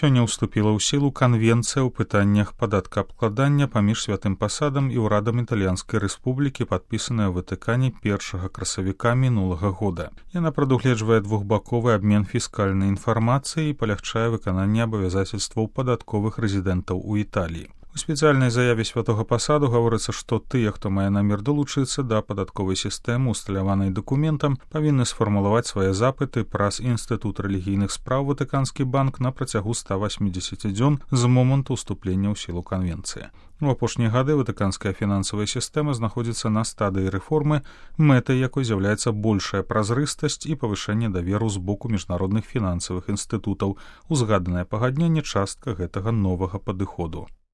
Сёння ўступіла ў сілу канвенцыя ў пытаннях падаткаабкладання паміж святым пасадам і ўрадам італьянскай рэспублікі, падпісаная ў Ватыкане 1 красавіка мінулага года. Яна прадугледжвае двухбаковы абмен фіскальнай інфармацыяй і палягчае выкананне абавязацельстваў падатковых рэзідэнтаў у Італіі. У спецыяльнай заяве святога пасаду гаворыцца, што тыя, хто мае намер далучыцца да падатковай сістэмы, усталяванай дакументам, павінны сфармулаваць свае запыты праз Інстытут рэлігійных спраў Ватыканскі банк на працягу 180 дзён з моманту ўступлення ў сілу канвенцыі. У апошнія гады ватыканская фінансавая сістэма знаходзіцца на стадыі рэформы, мэтай якой з'яўляецца большая празрыстасць і павышэнне даверу з боку міжнародных фінансавых інстытутаў. Узгаданае пагадненне частка гэтага новага падыходу.